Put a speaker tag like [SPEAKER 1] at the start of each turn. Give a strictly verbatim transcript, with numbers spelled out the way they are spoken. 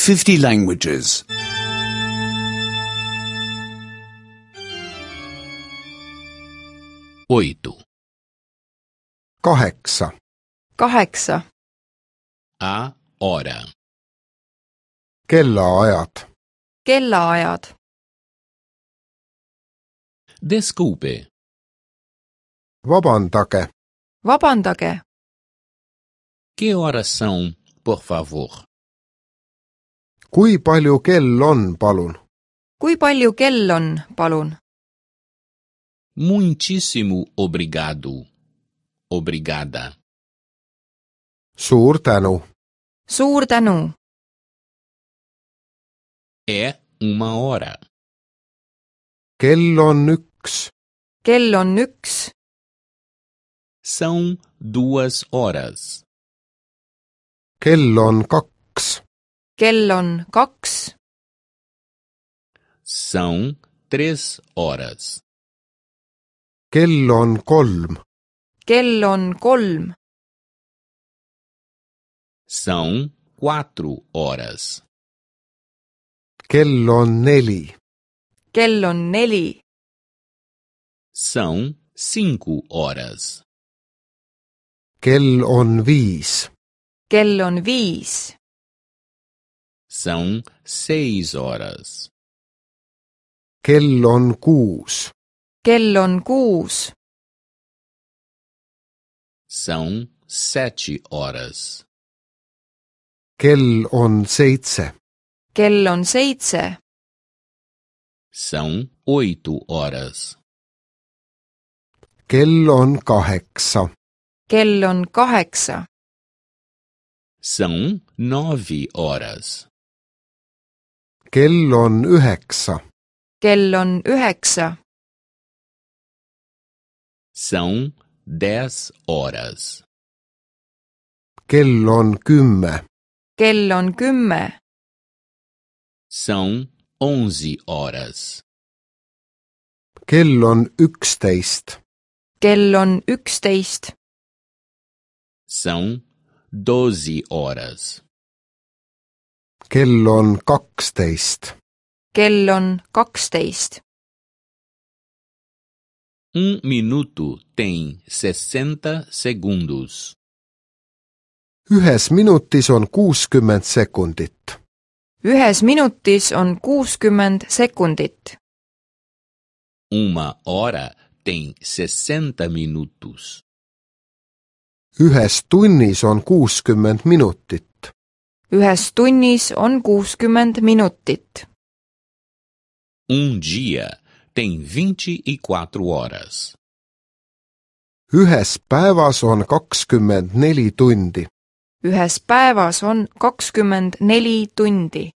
[SPEAKER 1] fifty languages.
[SPEAKER 2] Oito.
[SPEAKER 3] Kaheksa.
[SPEAKER 4] Kaheksa.
[SPEAKER 2] A hora.
[SPEAKER 3] Kellaajad.
[SPEAKER 4] Kellaajad.
[SPEAKER 2] Desculpe.
[SPEAKER 3] Vabandage.
[SPEAKER 4] Vabandage.
[SPEAKER 2] Que horas são, por favor?
[SPEAKER 3] Kui palju kell on, palun?
[SPEAKER 4] Kui palju kell on, palun?
[SPEAKER 2] Muitíssimo obrigado. Obrigada.
[SPEAKER 3] Suur tänu.
[SPEAKER 4] Suur tänu.
[SPEAKER 2] É uma hora.
[SPEAKER 3] Kell on üks.
[SPEAKER 4] Kell on üks.
[SPEAKER 2] São duas horas.
[SPEAKER 3] Kell on kaks.
[SPEAKER 4] Kell on kaks.
[SPEAKER 2] São três horas.
[SPEAKER 3] Kell on kolm.
[SPEAKER 4] Kell on kolm.
[SPEAKER 2] São quatro horas.
[SPEAKER 3] Kell on neli.
[SPEAKER 4] Kell on neli.
[SPEAKER 2] São cinco horas.
[SPEAKER 3] Kell on viis.
[SPEAKER 4] Kell on viis.
[SPEAKER 2] São seis horas.
[SPEAKER 3] Kell on kuus.
[SPEAKER 4] Kell on kuus.
[SPEAKER 2] São sete horas.
[SPEAKER 3] Kell on seitse.
[SPEAKER 4] Kell on seitse.
[SPEAKER 2] São oito horas.
[SPEAKER 3] Kell on kaheksa.
[SPEAKER 4] Kell on kaheksa.
[SPEAKER 2] São nove horas.
[SPEAKER 3] Kell on üheksa.
[SPEAKER 4] Kell on üheksa.
[SPEAKER 2] São dez horas.
[SPEAKER 3] Kell on kümme.
[SPEAKER 4] Kell on kümme.
[SPEAKER 2] São onze horas.
[SPEAKER 3] Kell on üksteist.
[SPEAKER 4] Kell on üksteist.
[SPEAKER 2] São doze horas.
[SPEAKER 3] Kell on kaksteist.
[SPEAKER 4] Kell on kaksteist.
[SPEAKER 2] Um minuto tem sessenta segundos.
[SPEAKER 3] Ühes minutis on kuuskümmend sekundit.
[SPEAKER 4] Ühes minutis on kuuskümmend sekundit.
[SPEAKER 2] Uma hora tem sessenta minutos.
[SPEAKER 3] Ühes tunnis on kuuskümmend minutit.
[SPEAKER 4] Ühes tunnis on kuuskümmend minutit.
[SPEAKER 2] Um dia tem vinte e quatro horas.
[SPEAKER 3] Ühes päevas on kakskümmend neli tundi.
[SPEAKER 4] Ühes päevas on kakskümmend neli tundi.